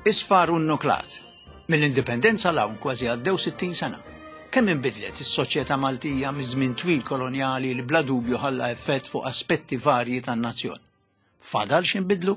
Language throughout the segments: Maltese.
Isfar u nnuklat. Mill-Indipendenza 'l hawn kważi għaddew 60 sena. Kemm inbidlet is-soċjetà Maltija miż-żmien twil kolonjali li bla dubju ħalla effett fuq aspetti varji tan-nazzjon? Fadal x'inbidlu?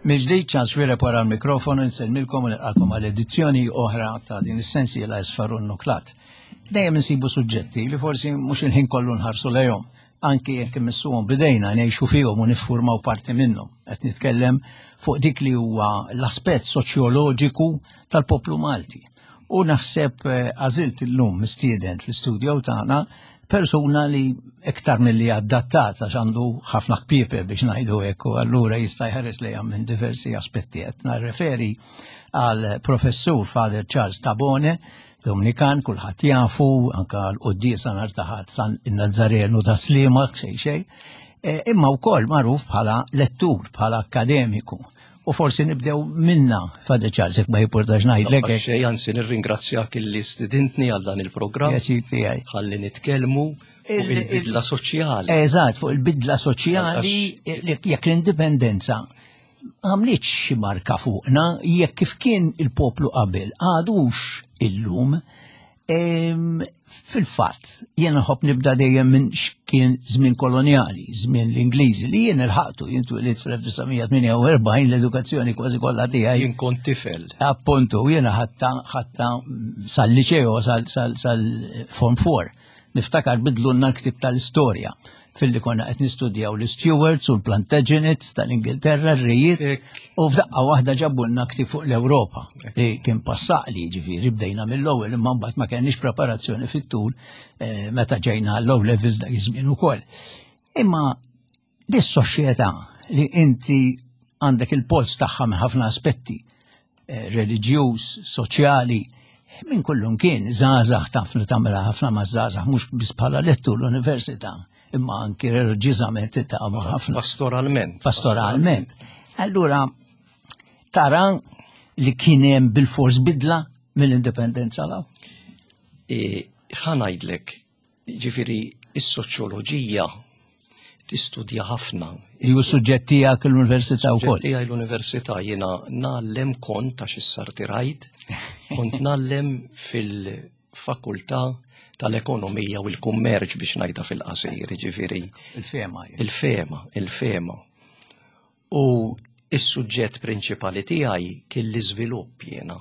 Mill-ġdid Charles Xuereb wara l-mikrofonu nsellmilkom u nilqakom għal edizzjoni oħra ta' din is-sensiela Isfar u Nuklat. Dejjem insibu suġġetti li forsi mhux il-ħin kollu nħarsu lejhom, anki jekk immissuhom bidejna ngħixu fihom u niffurmaw parti minnhom. Qed nitkellem fuq dik li huwa l-aspett soċjoloġiku tal-poplu Malti. U naħseb eh, għażilt illum mistieden fl-istudio tagħna persuna li iktar milli adattat għax għandu ħafna kpiepe biex ngħidu hekk u allura jista' jħares lejha minn diversi aspetti. Qed narreferi għal professur Father Charles Tabone, Dominikan, kulħadd jafu, anka l-quddiesa nhar taħat San Nazzarenu ta' Sliema, xejn xejn, eh, imma wkoll magħruf bħala lettur, bħala akkademiku. U forsi nibdew minna, Father Charles, jekk ma jipportax ngħidlek. Xejn, anzi nirringrazzjak illi stidintni għal dan il-programm. Pjaċir tiegħi. Ħalli nitkellmu fuq il-bidla soċjali. Eżatt, fuq il-bidla soċjali jekk l-indipendenza għamlitx xi marka fuqna jekk kif kien il-poplu qabel għadux illum. Fil-fatt, jiena nħobb nibda dejjem minn x'kien żmien kolonjali, żmien l-Ingliżi, li jien ilħaqtu, jien twilidt fl-1948 l-edukazzjoni kważi kollha tiegħi. Jien kont tifel. Appuntu, jiena ħatta ħatta sal-liċeo sal-Form 4. Niftakar bidlulna l-ktieb tal-istorja filli konna qed nistudjaw l-Stuarts u l-Plantagenets tal-Ingilterra, r-rejiet, u f'daqqa waħda ġabulna ktieb fuq l-Ewropa li kien passaqli ġifieri bdejna mill-ewwel imma mbagħad ma kenniex preparazzjoni fit-tul eh, meta ġejna l-low levels dak iż-żmien ukoll. Imma dis-soċjetà li inti għandek il-polz tagħha minn ħafna aspetti, eh, reliġjuż, soċjali, minn kullum kien żgħażagħ taf li tagħmilha ħafna ma' żgħażagħ mhux biss bħala lettur l-università, imma anki reliġjużament tiltaqa' ma' ħafna. Pastoralment. Pastoralment. Allura tara li kien hemm bil-fors bidla mill-indipendenza law? E, ħa ngħidlek, Ġifieri is-soċjoloġija tistudja ħafna. Ju suġġett tiegħek l-università wkoll. Suġġett tiegħi l-università jiena ngħallem kont għax issa rtirajt, kont ngħallem fil-fakultà tal-ekonomija u l-kummerċ biex ngħidha fil-qasir, ġifieri. Il-fema. Il-fema, il-fema. U is-suġġett prinċipali tiegħi kien l-iżvilupp jiena.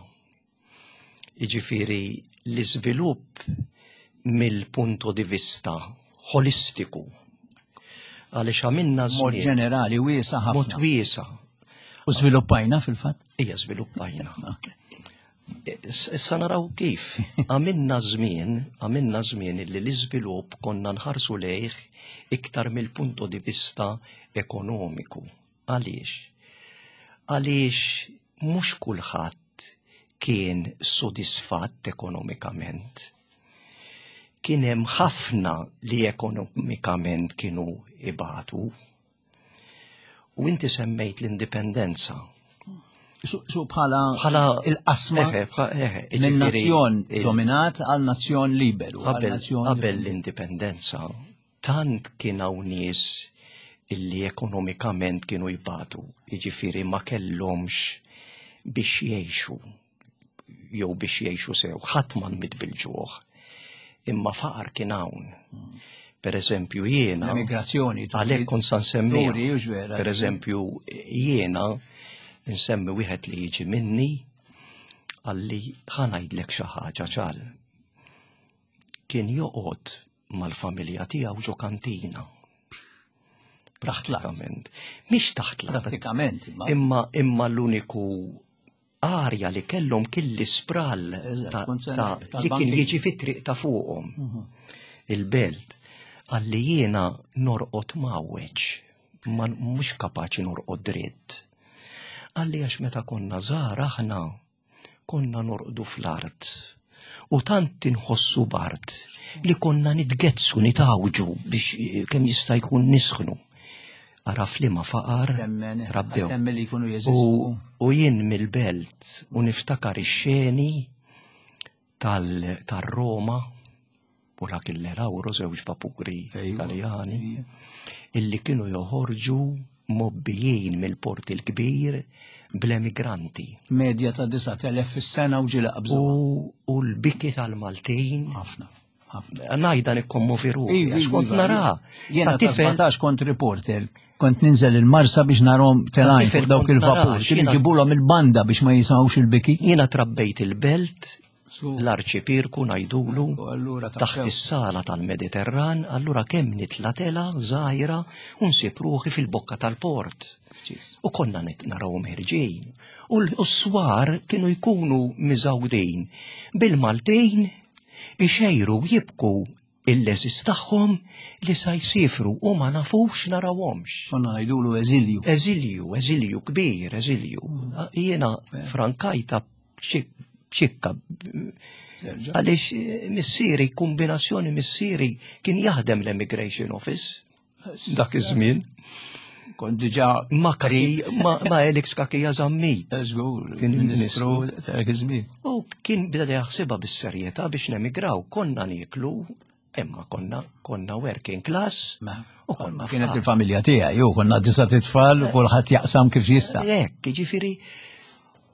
Jiġifieri l-iżvilupp mill-punto di vista holistiku. Għaliex għamilna Mod ġenerali wiesa ħafna. Mod wiesa. U żviluppajna fil-fatt? Ija żviluppajna. Issa naraw kif. Għamilna żmien, għamilna żmien li l-iżvilupp konna nħarsu lejh iktar mill-punto di vista ekonomiku. Għaliex? Għaliex mhux kulħadd kien sodisfatt ekonomikament. Kien hemm ħafna li ekonomikament kienu ibatu. U inti semmejt l-indipendenza. Su bħala il-qasma minn nazzjon dominat għal nazzjon liberu. Qabel l-indipendenza Tant kien hawn nies illi ekonomikament kienu jbatu, jiġifieri ma kellhomx biex jgħixu jew biex jgħixu sew, ħadd ma nmiet bil-ġuħ. Imma faqar kien hawn. Per eżempju jiena. L-emigrazzjoni. Għalhekk kont sa nsemmi. Per eżempju jiena nsemmi wieħed li jiġi minni għalli ħa ngħidlek xi ħaġa ċal. Kien joqgħod mal-familja tiegħu ġo kantina. Taħt l-art. Mhix taħt l-art. Pratikament. Imma imma l-uniku arja li kellhom kien l-ispral li kien jiġi fit-triq ta' fuqhom. Mhm. Il-belt għalli jiena norqod mawweġ, ma mhux kapaċi norqod dritt. Għalli għax meta konna żgħar aħna Konna norqdu fl-art u tant inħossu bard li konna nitgezzu, nitawġu biex eh, kemm jista' jkun nisħnu. Ara f'liema faqar trabbew. li jkunu jeżistu. U jien mill-belt u niftakar ix-xeni tal-Roma u l-Achille Lauro, żewġ vapuri Italjani, illi kienu joħorġu mobbijin mill-port il-kbir bl-emigranti. Medja ta' 9,000 fis-sena u ġieli qabżu. U l-biki tal-Maltin. Ħafna. Ngħidha nikkommovi ruħi, għax kont nara. Jiena ta' 17 kont reporter, kont ninżel il-Marsa biex narhom telgħin fuq dawk il-vapur, kienu ġibulhom il-banda biex ma jisimgħux il-biki. Jiena trabbejt il-belt, l-arċipirku ngħidulu, taħt is-sala tal-Mediterran, allura kemm nitla' tela żgħira u nsib ruħi fil-bokka tal-port. U konna narawhom ħerġin. U l-swar kienu jkunu miżgħudin bil-Maltin ixejru u jibku il-leżis tagħhom li sa jsifru u ma nafux narawhomx. Konna ngħidulu eżilju. Eżilju, eżilju kbir, eżilju. Mm. Jiena frankajta b'xikka. Għaliex eh, missieri, kombinazzjoni missieri kien jaħdem l-Immigration Office. Dak iż-żmien. Kont diġà ma kari ma, ma Alex Kakija Zammit. Żgur, kien ministru dak iż-żmien. U kien beda jaħsibha bis-serjetà biex nemigraw, konna nieklu imma konna konna working class. U konna kienet il-familja tiegħi, u konna disa titfal u kulħadd jaqsam kif jista'. Hekk, jiġifieri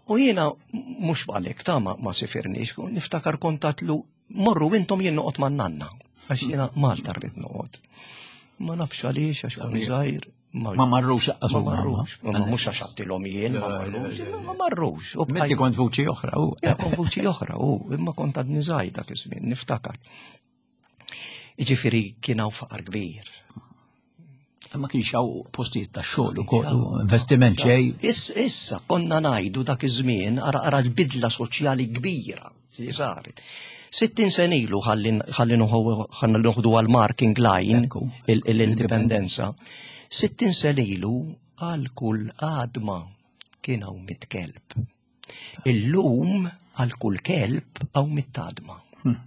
U jiena mhux għalhekk ta' ma, ma sifirniex, niftakar kontatlu Morru intom jien noqgħod man-nanna, għax jiena Malta rrid noqgħod. Ma nafx għaliex għax kont żgħir. Ma marrux ma marrux, ma mhux għax għattilhom jien, ma marrux, ma marrux. Inti kont vuċi oħra u. Kont vuċi oħra u, imma kont għadni żgħir dak iż-żmien, niftakar. Jiġifieri kien hawn faqar kbir. Ma kienx hawn postijiet ta' xogħol ukoll investiment xejn. Issa konna ngħidu dak iż-żmien ara ara l-bidla soċjali kbira li saret. 60 sen ilu ħalli noħdu għal marking line l-indipendenza. 60 sen ilu għal kull għadma kien hawn mit-kelb. Illum għal kull kelb hawn mit-tadma. Hmm.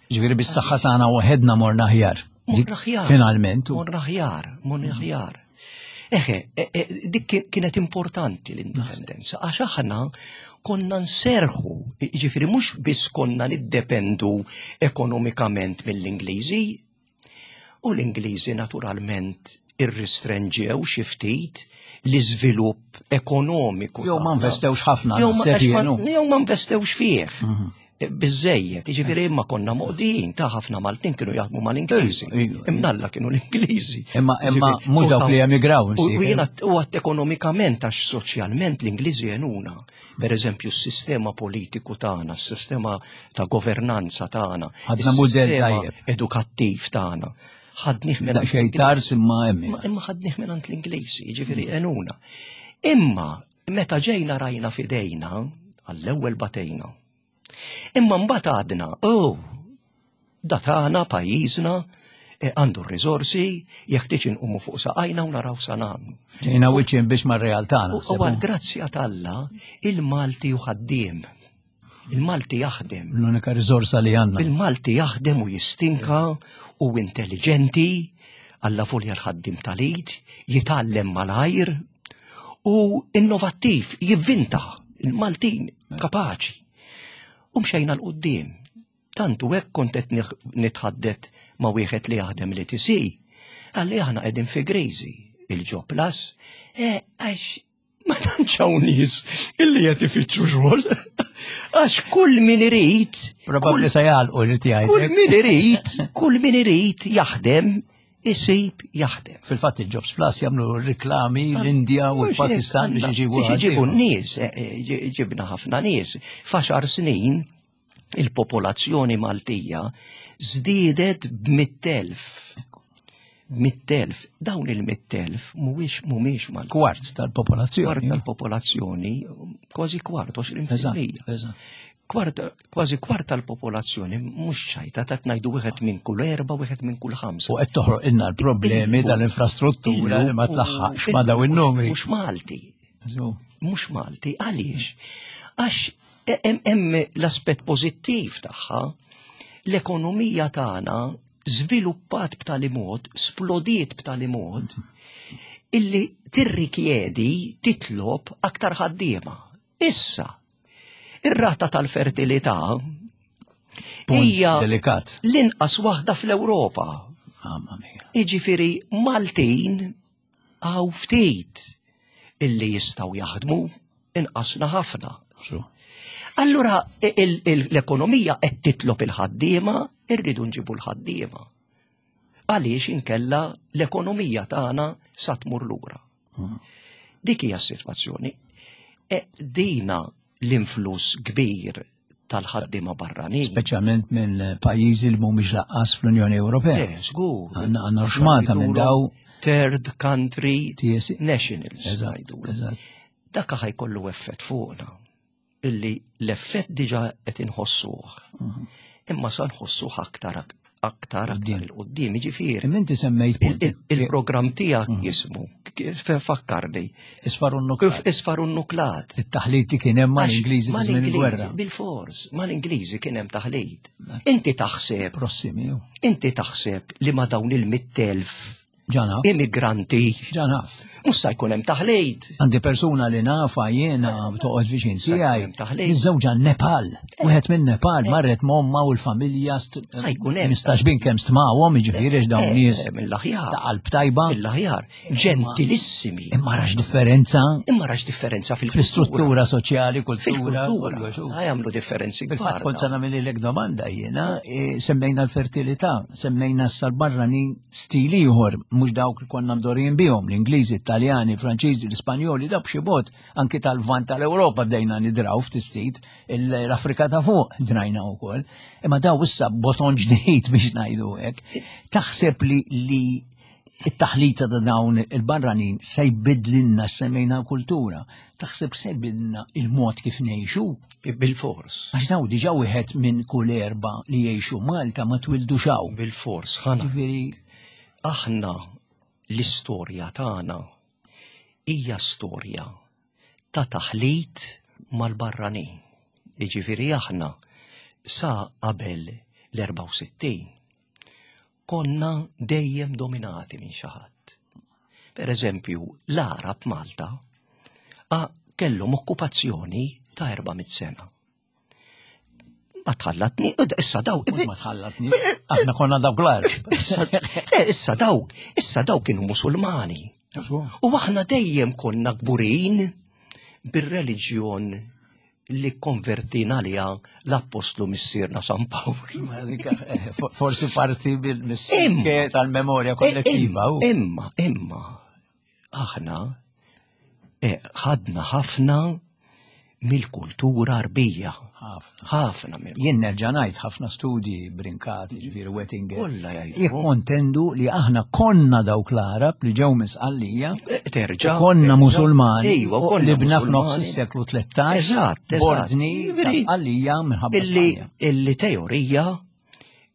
Ġifieri bis-saħħa tagħna waħedna morna aħjar. Morna aħjar. Finalment. Morna aħjar, morna aħjar. Eħe, e, e, dik kienet importanti l-indipendenza, għax aħna konna nserħu, ġifiri mhux biss konna niddependu ekonomikament mill-Ingliżi, U l-Ingliżi naturalment irristrenġew xi ftit l-iżvilupp ekonomiku. Jew ma investewx ħafna. Jew ma investewx fih. Mhm. Biżejjed, jiġifieri imma konna moqdijin ta' ħafna Maltin kienu jaħdmu mal-Ingliżi. Imnalla kienu l-Ingliżi. Imma imma mhux dawk li emigraw. U jiena u għat ekonomikament għax soċjalment l-Ingliżi jenuna. Per eżempju, s-sistema politiku tagħna, s-sistema ta' governanza tagħna, ħadna mudell tajjeb edukattiv tagħna. Ħadnih minn xejn tars imma hemm. Imma ħadnih minn l-Ingliżi, jiġifieri enuna. Imma meta ġejna rajna fidejna, għall-ewwel batejna. Imma mbagħad għadna, oh, da tagħna pajjiżna e, għandu r-riżorsi, jeħtieġ inqumu fuq saqajna u naraw sa nagħmlu. Ġejna wiċċin biex mar-realtà. U għal grazzja t'Alla il-Malti u ħaddiem. Il-Malti jaħdem. L-unika riżorsa li għandna. Il-Malti jaħdem u jistinka u intelligenti, alla volja l-ħaddim tal-id, jitgħallem malajr u innovattiv, jivvinta. Il-Maltin kapaċi. U mxejna l-qoddim. Tant u hekk kont qed nitħaddet ma' wieħed li jaħdem l-ETC. Qalli aħna qegħdin fi griżi, il-Job Plus, e, għax ma tantx hawn nies illi qed ifittxu xogħol. Għax kull min irid. Probabbli se jagħlqu li tiegħi. Kull min irid, kull min irid jaħdem isib jaħdem. Fil-fatt il-Jobs Plus jagħmlu riklami l-Indja u l-Pakistan biex iġibu. Biex iġibu n-nies, eh, eh, ġibna ħafna nies. F'għaxar snin il-popolazzjoni Maltija żdiedet b'mittelf. Mittelf, dawn il-mittelf mhuwiex mhumiex Malti. Kwart tal-popolazzjoni. Kwart tal-popolazzjoni, kważi kwart, 20%. Kwart, kważi kwart tal-popolazzjoni mhux ċajta ta' ngħidu wieħed minn kull erba' wieħed minn kull ħamsa. U qed toħroq inna l-problemi tal-infrastruttura li ma tlaħħaqx ma daw in-numri. Mhux Malti. Mhux Malti, għaliex? Għax hemm l-aspett pożittiv tagħha, l-ekonomija tagħna żviluppat b'tali mod, splodiet b'tali mod, Illi tirrikjedi titlob aktar ħaddiema. Issa, ir-rata tal-fertilità hija delikat. l-inqas waħda fl-Ewropa. Mamma mia. Iġifieri Maltin għaw ftit illi jistgħu jaħdmu inqasna ħafna. Allura l-ekonomija qed titlob il-ħaddiema, irridu nġibu l-ħaddiema. Għaliex inkella l-ekonomija tagħna sa tmur lura. Dik hija s-sitwazzjoni. E dina l-influss kbir tal-ħaddiema barranin. Speċjalment minn pajjiżi li mhumiex laqqas fl-Unjoni Ewropea. Eh, żgur. Għandna xmata minn daw. Third country nationals. Eżatt, eżatt. Dak ħajkollu effett fuqna. Illi l-effett diġa qed inħossuh. Mhm. Imma sa nħossuh aktar aktar aktar il-qoddim, ġifieri. Inti semmejt il-programm tiegħek mhm. jismu, fakkarni. Isfar nuklat. Isfar nuklat. It-taħlit kien hemm mal-Ingliżi fi żmien il-gwerra. Bil-fors, mal-Ingliżi kien hemm taħlit. Inti taħseb. Prossimi. Inti taħseb li ma dawn il-mittelf Ġanaf. Immigranti. Ġanaf. Mhux sa jkun hemm taħlejt. Għandi persuna li nafa jiena toqgħod viċin tiegħi. Miżżewġa Nepal. Wieħed minn Nepal eh. marret momma u l-familja ħajkun hemm. Nistax bin kemm stmawhom jiġifieri dawn eh, nies. Eh, mill-aħjar. Ta' qalb tajba. Mill-aħjar. Ġentilissimi. Imma rax differenza. Imma rax differenza fil-istruttura soċjali, kultura. Fil-kultura. Għamlu differenzi. Fil-fatt kont sa nagħmel domanda jiena, semmejna l-fertilità, semmejna s-barranin stil ieħor, mhux dawk li konna mdorrijin bihom, l-Ingliżi, Taljani, Franċiżi, l-Ispanjoli, dawk b'xi mod anki tal-vant tal-Ewropa bdejna nidraw ftit ftit, l-Afrika ta' fuq drajna wkoll. Imma daw issa boton ġdid biex ngħidu hekk. Taħseb li li it-taħlita ta' dawn il-barranin se jbidlinna semmejna kultura. Taħseb se jbidlna il-mod kif ngħixu? Bil-fors. Għax daw diġà wieħed minn kull erba li jgħixu Malta ma twildux hawn. Bil-fors, ħana. Aħna l-istorja tagħna hija storja ta' taħlit mal-barranin. Jiġifieri aħna sa qabel l-64 konna dejjem dominati minn xi ħadd. Per eżempju, l-Arab Malta kellhom okkupazzjoni ta' 400 sena. Ma tħallatni, issa daw. Ma tħallatni, aħna konna dawk l-Arab. Issa daw, issa daw kienu Musulmani. U aħna dejjem konna kburin bir-reliġjon li konvertina għaliha l-appostlu missierna San Pawl. Eh, forsi parti bil-missier tal-memorja kollettiva. Imma, imma, aħna eh, ħadna ħafna mill-kultura arbija. Ħafna. Jien nerġa' ngħid ħafna studji brinkati, ġifieri Wettinger. Kollha jgħidu. Jikkontendu li aħna konna dawk l-Arab li ġew misqallija. Eh, terġa'. Konna musulmani. Iva, konna li bna f'nofs is-seklu 13. Eżatt, Bordni ta' minħabba Illi teorija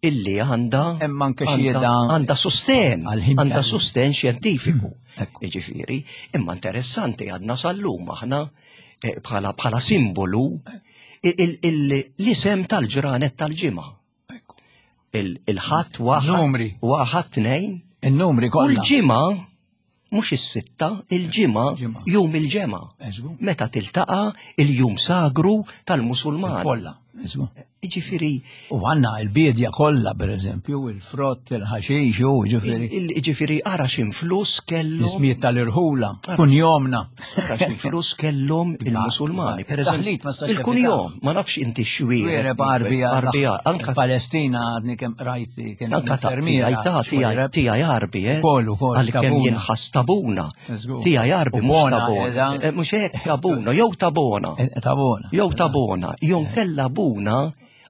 illi għandha Hemm anke xhieda għandha sosten, għandha sosten xjentifiku. Hmm, Jiġifieri, imma interessanti għadna sal-lum aħna eh, bħala bħala simbolu l-isem tal-ġranet tal-ġimgħa. Il-ħadd waħad. Numri. Waħad tnejn. Il-numri kollha. U l-ġimgħa mhux is-sitta, il-ġimgħa, jum il-ġemgħa. Meta tiltaqa' il-jum sagru tal-Musulman. Kollha. Ġifieri. U għandna l-biedja kollha pereżempju, il-frott, il-ħaxix, u ġifieri. Ġifieri ara x'influss kellhom. L-ismijiet tal-irħula, kunjomna. Ara x'influss kellhom il-Musulmani. Per eżempju, il-kunjom, ma nafx inti xwiereb. Arbija, Arbija, anka Palestina għadni kemm rajti kien anka infermiera. Tiegħi Arbi, eh? Kollu, kollu. Għalkemm jinħass tabuna. Tiegħi Arbi mhux tabona. Eh, mhux hekk tabuna, jew tabona. Eh, tabona. Jew tabona, jew kella buna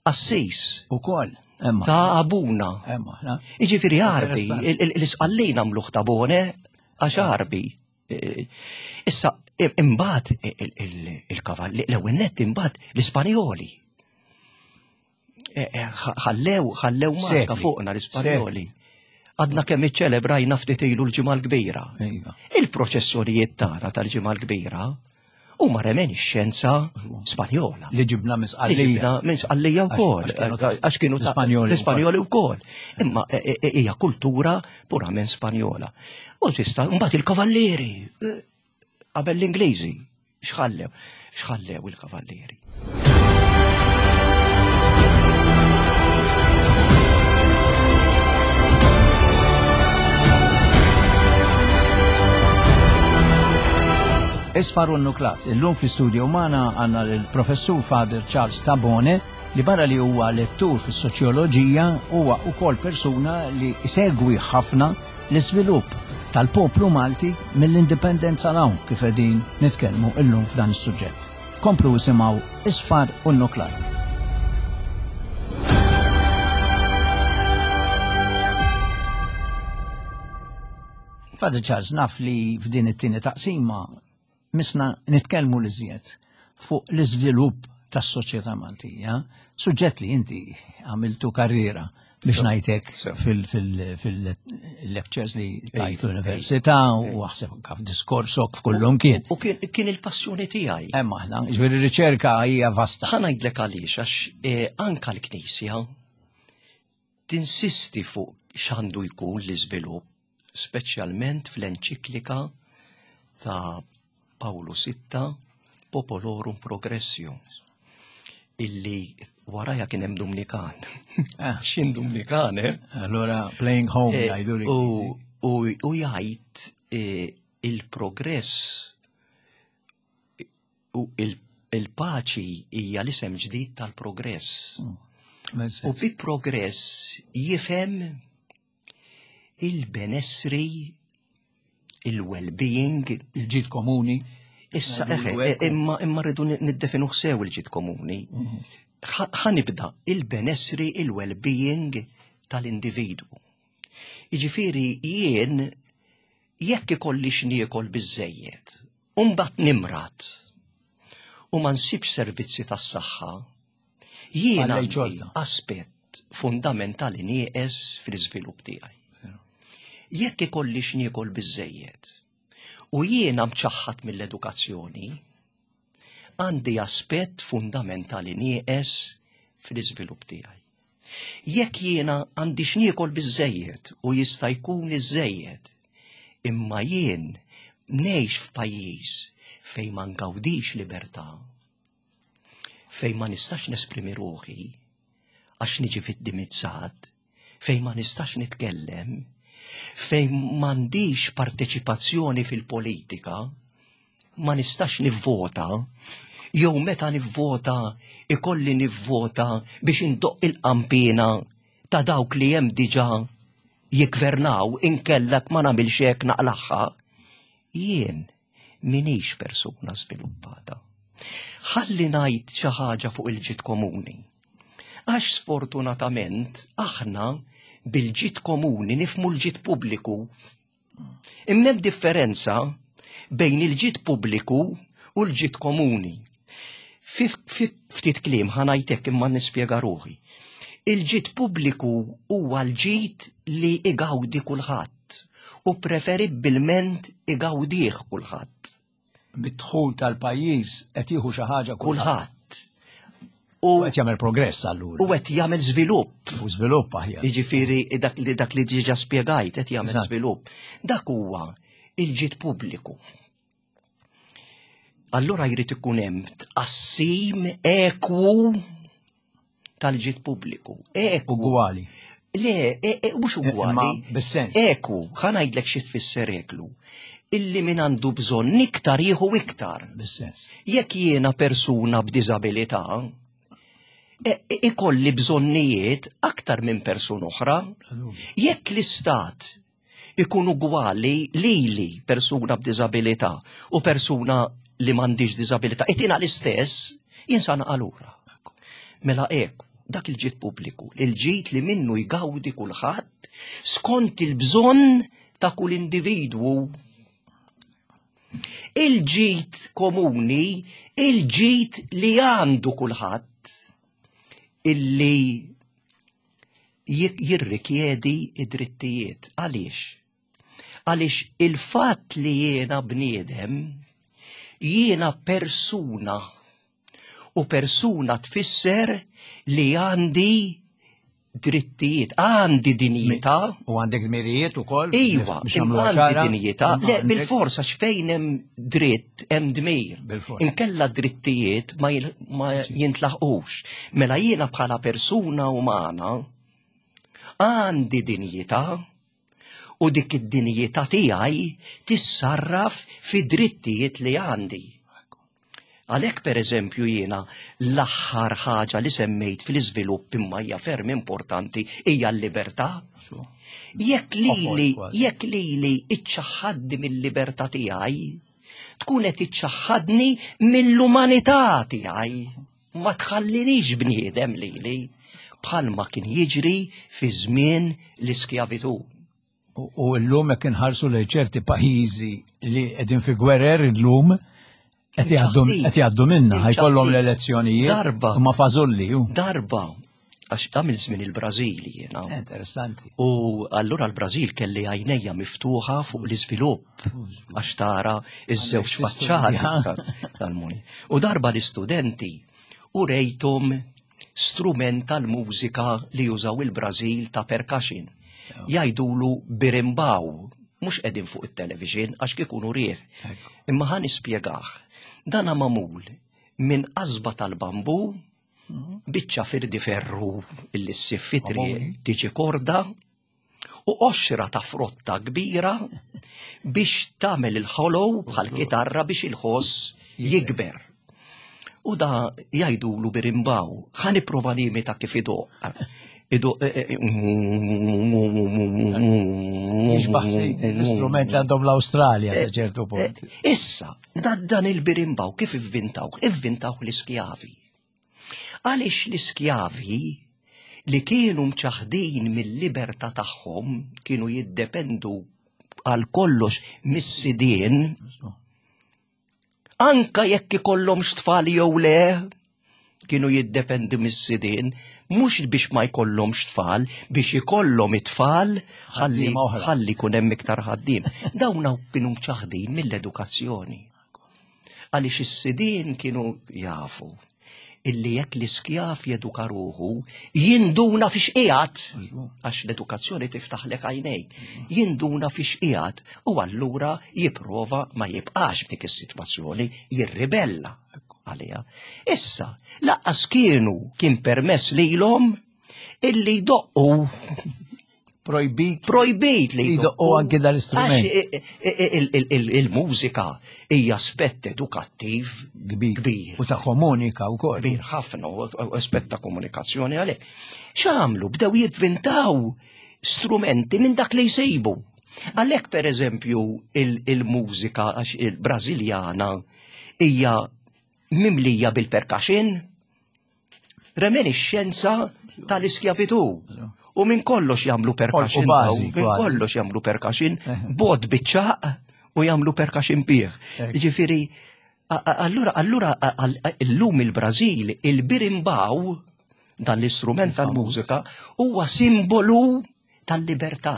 assis. Ukoll. Ta' abuna. Iġifieri Arbi, l-isqallin għamluh tabone għax Arbi. Issa, imbagħad il-kavalli, l-ewwel nett imbagħad l-Ispanjoli. E, e, ħallew, ħallew marka fuqna l-Ispanjoli. Għadna kemm iċċelebrajna ftit ilu l-ġimgħa l-kbira. Iva. Il-proċessjonijiet tagħna tal-ġimgħa l-kbira Huma reminiscenza Spanjola. Li ġibna minn Sqallija. Minn Sqallija wkoll, għax kienu l-Ispanjoli wkoll. Imma e, e, e, hija kultura purament Spanjola. U tista' mbagħad il-kavallieri qabel l-Ingliżi x'ħallew, x'ħallew il-kavallieri. Isfar u Nuklat. Illum fl-istudio magħna għandna l-Professur Father Charles Tabone li barra li huwa lettur fis-soċjoloġija huwa wkoll persuna li segwi ħafna l-iżvilupp tal-poplu Malti mill-indipendenza 'l hawn kif qegħdin nitkellmu illum f'dan is-suġġett. Komplu isimgħu Isfar u Nuklat. Father Charles, naf li f'din it-tieni taqsima misna nitkellmu l-iżjed fuq l-iżvilupp tas-soċjetà Maltija, suġġett li inti għamiltu karriera biex ngħidlek fil-lectures li tajt l-università u aħseb anke f'diskorsok f'kullum kien. U kien il-passjoni tiegħi. Hemm aħna, ġifieri riċerka hija vasta. Ħa ngħidlek għaliex għax eh, anka l-Knisja tinsisti fuq x'għandu jkun l-iżvilupp, speċjalment fl-enċiklika ta' Pawlu Sitta Popolorum Progressio illi waraja kien hemm Dumnikan. Ah. X'in Dumnikan, eh? Allora playing home eh, jgħidu li. U jgħid eh, il-progress U il-paċi hija l-isem ġdid tal-progress. Mm. U bi progress jifhem il-benessri, il-well-being, il-ġid komuni. Issa, eħe, imma imma rridu niddefinu sew il-ġid komuni. Mhm. Ħanibda il-benessri, il-well-being tal-individwu. Jiġifieri jien Jekk ikolli x'niekol biżżejjed u mbagħad nimrad u ma nsibx servizzi tas-saħħa, jien għandi aspett fundamentali nieqes fl-iżvilupp tiegħi. Jekk ikolli x'niekol biżżejjed u jiena mċaħħad mill-edukazzjoni, għandi aspett fundamentali nieqes fl-iżvilupp tiegħi. Jekk jiena għandi x'niekol biżżejjed u jista' jkun iżżejjed, imma jien ngħix f'pajjiż fejn ma ngawdix libertà, fejn ma nistax nesprimi ruħi għax niġi fid-dimizzat, fejn ma nistax nitkellem, fejn m'għandix parteċipazzjoni fil-politika, ma nistax nivvota, jew meta nivvota ikolli nivvota biex indoq il-qampina ta' dawk li hemm diġà jiggvernaw inkellek ma nagħmilx hekk naqlaħħa. Jien minix persuna żviluppata. Ħalli ngħid xi ħaġa fuq il-ġid komuni. Għax sfortunatament aħna bil-ġid komuni nifmu l-ġid pubbliku Imma hemm differenza bejn il-ġid pubbliku u l-ġid komuni. Ftit kliem ħanajtek imma nispjega ruħi. Il-ġid pubbliku huwa l-ġid li igawdi kulħadd u preferibbilment igawdih kulħadd. Bid-dħul tal-pajjiż qed jieħu xi ħaġa kulħadd. U qed jagħmel progress allura. U qed jagħmel żvilupp. U żvilupp aħjar. Jiġifieri dak li dak li diġà spjegajt qed jagħmel żvilupp. Dak huwa il-ġid pubbliku. Allura jrid ikun hemm tqassim ekwu tal-ġid pubbliku. Eku. Ugwali. Le, e, e, mhux e, ugwali. Bis-sens. Eku, ħa ngħidlek xi tfisser eklu. Illi min għandu bżonn iktar jieħu iktar. Bis-sens. Jekk jiena persuna b'diżabilità, ikolli bżonnijiet aktar minn persuna oħra. Jekk l-istat ikun ugwali lili persuna b'diżabilità u persuna li m'għandix diżabilità, itina l-istess, jien sa lura. Mela hekk, dak il-ġid pubbliku, il-ġid li minnu jgawdi kulħadd skont il-bżonn ta' kull individwu. Il-ġid komuni, il-ġid li għandu kulħadd, illi jirrikjedi id-drittijiet. Għaliex? Għaliex il-fatt li jiena bniedem Jiena persuna. U persuna tfisser li għandi drittijiet, għandi dinjità. U għandek dmirijiet ukoll? Iva, għandi dinjità. Le, bil-forsa x'fejn hemm dritt, hemm dmir. Inkella drittijiet ma jintlaħqux. Mela jiena bħala persuna umana għandi dinjità u dik id-dinjità tiegħi tissarraf fi drittijiet li għandi. Għalhekk pereżempju jiena l-aħħar ħaġa li semmejt fl-iżvilupp imma hija ferm importanti hija l-libertà. Jekk lili jekk lili iċċaħħadni mill-libertà tiegħi, tkun qed iċċaħħadni mill-umanità tiegħi. Ma tħallinix bniedem lili bħalma kien jiġri fi żmien l-iskjavitu. U llum jekk inħarsu lejn ċerti pajjiżi li qegħdin fi gwerer illum qed jgħaddu minna, ħajkollhom l-elezzjonijiet. Darba. Ma fażulli. Darba għax għamil żmien il-Brażil jiena. Interessanti. U allura l-Brażil kelli għajnejja miftuħa fuq l-iżvilupp għax tara iż-żewġ faċċati tal-muni. U darba l-istudenti u rejthom strument tal-mużika li jużaw il-Brażil ta' percussion. Jgħidulu birimbaw, mhux qegħdin fuq it-television għax kikunu rieħ. Imma ħa nispjegah. Dana magħmul minn qasba tal-bambu, mhm. biċċa firdi ferru illi ssib fitri tiġi korda u qoxra ta' frotta kbira biex tagħmel il-ħolow bħal kitarra biex il-ħoss jikber. U da jgħidulu birimbaw, ħa nipprova nimita kif idoq. Idoq. Eh, eh, Jixbaħ l-istrument li għandhom l-Awstralja sa ċertu eh, punt. Issa, dan il-birimbaw kif ivvintaw? Ivvintaw l-iskjavi. Għaliex l-iskjavi li kienu mċaħdin mill-libertà tagħhom kienu jiddependu għal kollox mis-sidien, anka jekk ikollhomx tfal jew le, kienu jiddependu mis-sidien, mhux biex ma jkollhomx tfal, biex ikollhom it-tfal ħalli ħalli kun hemm iktar ħaddiem. Dawn kienu mċaħdin mill-edukazzjoni. Għaliex is-sidien kienu jafu illi jekk l-iskjav jeduka ruħu, jinduna fiex qiegħed, għax l-edukazzjoni tiftaħlek għajnejk, jinduna fiex qiegħed u allura jipprova ma jibqax f'dik is-sitwazzjoni, jirribella għaliha. Issa, laqqas kienu kien permess lilhom illi jdoqqu Projbit. Projbit li jdoqqu anke dal-istrument. Il-mużika hija aspett edukattiv kbir. U ta' komunika wkoll. Kbir ħafna u aspett ta' komunikazzjoni għalhekk. X'għamlu? Bdew jivvintaw strumenti minn dak li jsibu. Għalhekk pereżempju il-mużika għax il-Brażiljana hija mimlija bil-percussion, Reminiscenza tal-iskjavitu. U minn kollox jagħmlu percussion. Minn kollox jagħmlu percussion, bod biċċaq u jagħmlu percussion bih. Ġifieri, allura allura illum il-Brażil il-birimbaw dan l-istrument tal-mużika huwa simbolu tal-libertà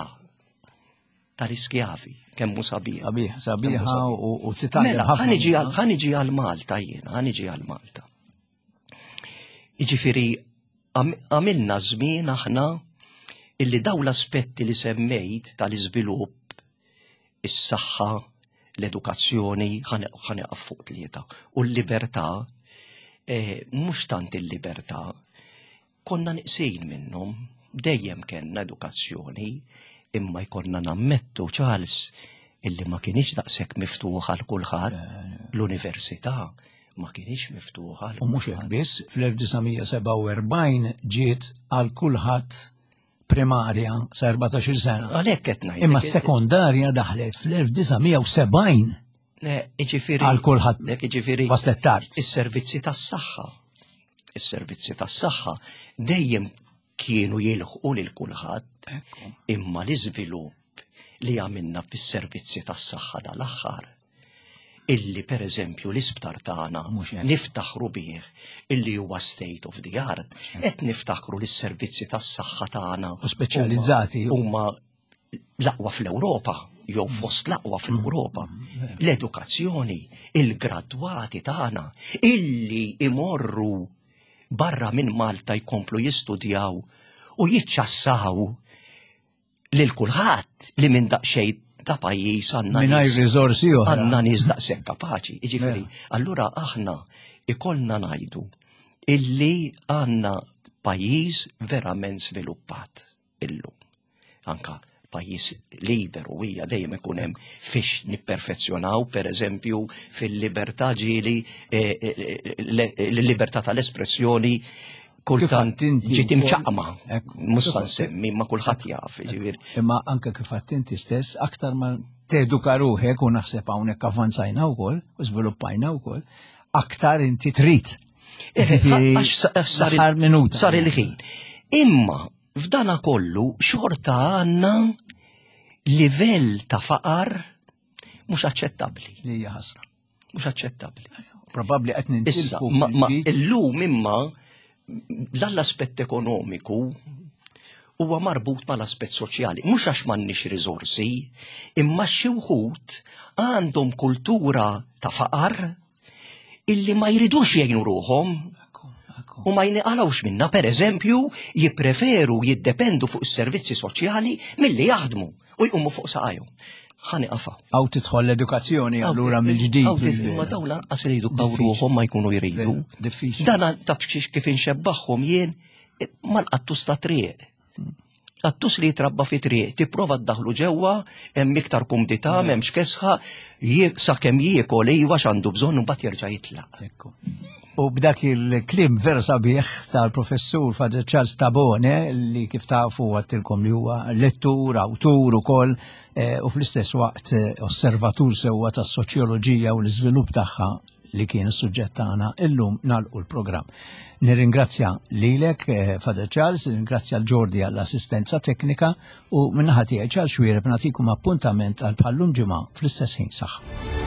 tal-iskjavi, kemm hu sabiħ. Sabiħ, sabiħa u titgħallem mela, ħafna. Ħaniġi għal Malta jiena, ħaniġi għal Malta. Jiġifieri għamilna żmien aħna illi daw l-aspetti li semmejt tal-iżvilupp, is-saħħa, l-edukazzjoni, ħaneqaf fuq tlieta, u l-libertà, eh, mhux tant il-libertà, Konna neqsin minnhom, dejjem kellna edukazzjoni, imma jkollna nammettu, Charles, illi ma kienx daqshekk miftuħ għal kulħadd, l-università ma kienx miftuħa. U mhux hekk biss, fl-1947 ġiet għal kulħadd primarja sa 14 sena. Għalhekk qed ngħid. Imma s-sekondarja daħlet fl-1970. Ġifieri għal kulħadd. Ġifieri waslet tard. Is-servizzi tas-saħħa. Is-servizzi tas-saħħa dejjem kienu jilħqu lil kulħadd. Imma l-iżvilupp li għamilna fis-servizzi tas-saħħa dal-aħħar illi per eżempju l-isptar tagħna niftaħru bih illi huwa state of the art, qed niftaħru li s-servizzi tas-saħħa tagħna u speċjalizzati huma l-aqwa fl-Ewropa jew fost l-aqwa fl-Ewropa. L-edukazzjoni Il-gradwati tagħna illi imorru barra minn Malta jkomplu jistudjaw u jiċċassaw lil kulħadd li minn daqsxejn ta' pajjiż għandna mingħajr riżorsi oħra. Għandna nies daqshekk kapaċi. Jiġifieri, allura aħna ikollna ngħidu illi għandna pajjiż verament sviluppat illum. Anka pajjiż liberu hija dejjem ikun hemm fiex nipperfezzjonaw, per eżempju, fil-libertà ġieli eh, eh, l-libertà tal-espressjoni kultant ġiet imċaqma. Mhux sa nsemmi ma kulħadd jaf, ġifieri. Imma anke kif inti stess aktar ma teduka ruħek u naħseb hawnhekk avvanzajna wkoll u żviluppajna wkoll, aktar inti trid. Eh, sar minuta. Sar il-ħin. Imma f'dana kollu xorta għandna livell ta' faqar mhux aċċettabbli. Li hija ħasra. Mhux aċċettabbli. Probabbli qed nintilfu. Ma illum imma dan l-aspett ekonomiku huwa marbut mal-aspett soċjali. Mhux għax m'għandniex riżorsi, imma xi wħud għandhom kultura ta' faqar illi ma jridux jgħinu ruħhom u ma jniqalawx minna, per eżempju, jippreferu jiddependu fuq is-servizzi soċjali milli jaħdmu u jqumu fuq saqajhom. Ħani qafa. Għaw tidħol l-edukazzjoni allura mill-ġdid. Ma dawn lanqas iridu ruħhom ma jkunu jridu. Diffiċli. Dan taf kif inxebbaħhom jien mal-qattus ta' triq. Qattus li jitrabba fi triq, tipprova ddaħlu ġewwa, hemm iktar kumdità, m'hemmx kesħa, sakemm jiekol iva x'għandu bżonn u mbagħad jerġa' jitlaq. U b'dak il-klim vera sabiħ tal-professur Father Charles Tabone li kif tafu għattilkom li huwa lettur, awtur ukoll eh, u fl-istess waqt eh, osservatur sewwa tas-soċjoloġija u l-iżvilupp tagħha li kien is-suġġett tagħna illum nagħlqu l-programm. Nirringrazzja lilek, eh, Father Charles, nirringrazzja l-Ġordi għall-assistenza teknika u minnaħa tiegħi Charles Xwiereb nagħtikum appuntament għal bħallum ġimgħa fl-istess ħin saħ.